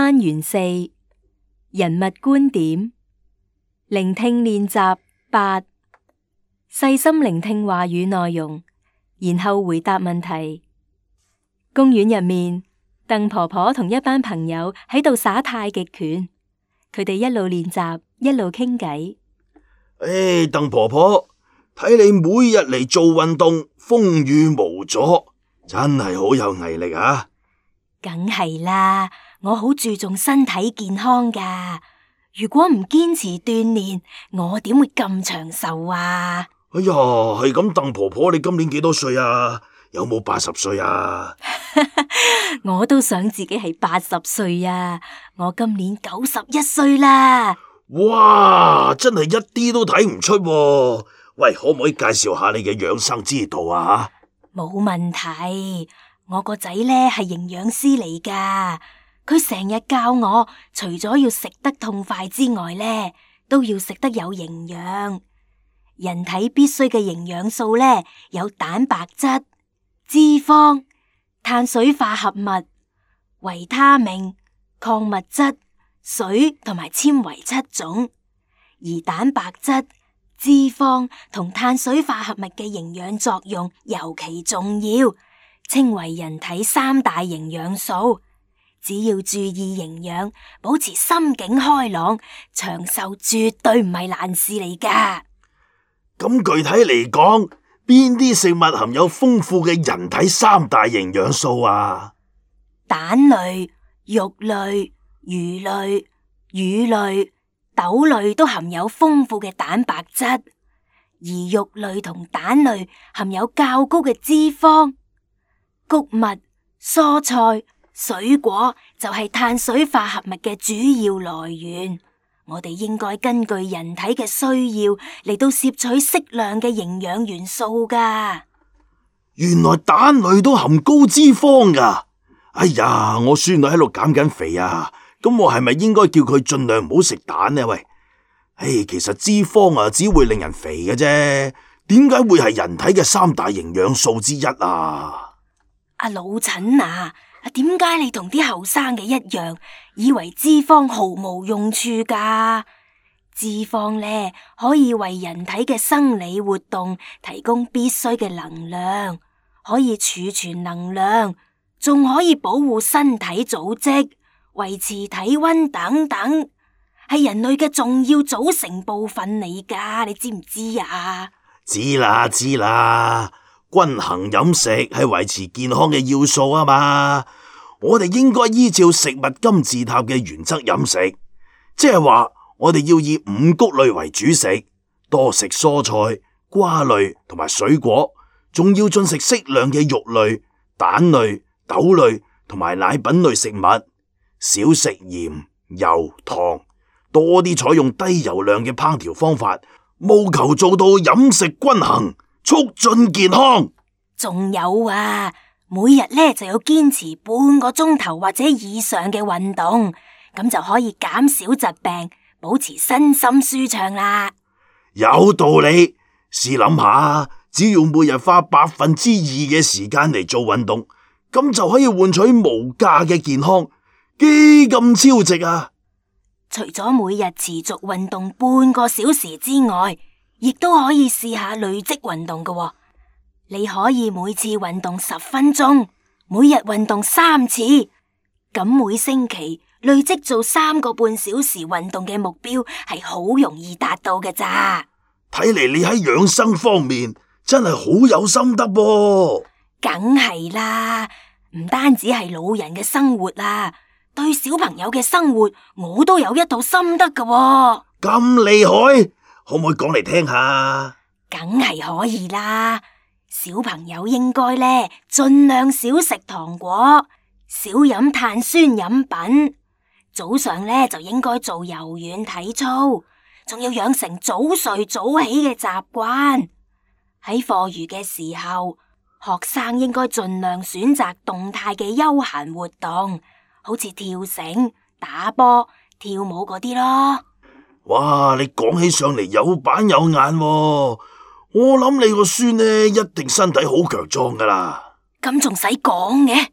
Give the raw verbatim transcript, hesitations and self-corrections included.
單元四人物觀點，聆聽練習八，細心聆聽話語內容，然後回答問題。公園入面，鄧婆婆同一班朋友喺度耍太極拳，佢哋一路練習，一路傾偈。唉，鄧婆婆，睇你每日嚟做運動，風雨無阻，真係好有毅力啊！梗係啦，我好注重身體健康噶。如果唔堅持鍛煉，我點會咁長壽啊？哎呀，係咁，鄧婆婆，你今年幾多歲啊？有冇八十歲啊？我都想自己係八十歲啊！我今年九十一歲啦。哇，真係一啲都睇唔出喎。喂，可唔可以介紹下你嘅養生之道啊？冇問題，我個仔呢係營養師嚟噶，佢成日教我，除咗要食得痛快之外呢，都要食得有營養。人體必須嘅營養素呢，有蛋白質、脂肪、碳水化合物、維他命、礦物質、水同埋纖維七種。而蛋白質、脂肪同碳水化合物嘅營養作用尤其重要，稱為人體三大營養素。只要注意營養，保持心境開朗，長壽絕對唔係難事嚟噶。咁具體嚟講，邊啲食物含有豐富嘅人體三大營養素啊？蛋類、肉類、魚類、乳類、豆類都含有豐富嘅蛋白質，而肉類同蛋類含有較高嘅脂肪。穀物、蔬菜、水果就係碳水化合物嘅主要來源。我哋應該根據人體嘅需要嚟到攝取適量嘅營養元素噶。原來蛋類都含高脂肪噶。哎呀，我孫女喺度減緊肥啊，咁我係咪應該叫佢盡量唔好食蛋呢？喂，唉，其實脂肪啊只會令人肥嘅啫，點解會係人體嘅三大營養素之一啊？阿老陳啊，點解你同啲後生嘅一樣，以為脂肪毫無用處噶？脂肪呢，可以為人體嘅生理活動提供必須嘅能量，可以儲存能量，仲可以保護身體組織、維持體溫等等，係人類嘅重要組成部分嚟噶，你知唔知啊？知啦知啦。均衡飲食係維持健康嘅要素啊嘛，我哋應該依照食物金字塔嘅原則飲食，即係話我哋要以五穀類為主食，多食蔬菜、瓜類同埋水果，仲要進食適量嘅肉類、蛋類、豆類同埋奶品類食物，少食鹽、油、糖，多啲採用低油量嘅烹調方法，務求做到飲食均衡，促進健康。仲有啊，每日咧就要堅持半個鐘頭或者以上嘅運動，咁就可以減少疾病，保持身心舒暢啦。有道理，試諗下，只要每日花百分之二嘅時間嚟做運動，咁就可以換取無價嘅健康，幾咁超值啊！除咗每日持續運動半個小時之外，亦都可以試下累積運動㗎喎。你可以每次運動十分鐘，每日運動三次，咁每星期累積做三個半小時運動嘅目標係好容易達到嘅咋。睇嚟你喺養生方面真係好有心得噃。梗係啦，唔單止係老人嘅生活啊，對小朋友嘅生活我都有一套心得㗎喎。咁厲害，可唔可以講嚟聽下？梗係可以啦。小朋友應該呢，盡量少食糖果，少飲碳酸飲品。早上呢，就應該做柔軟體操，仲要養成早睡早起嘅習慣。喺課餘嘅時候，學生應該盡量選擇動態嘅休閒活動，好似跳繩、打波、跳舞嗰啲咯。哇，你講起上嚟有板有眼喎。我諗你個孫呢，一定身體好強壯噶啦。咁仲使講嘅？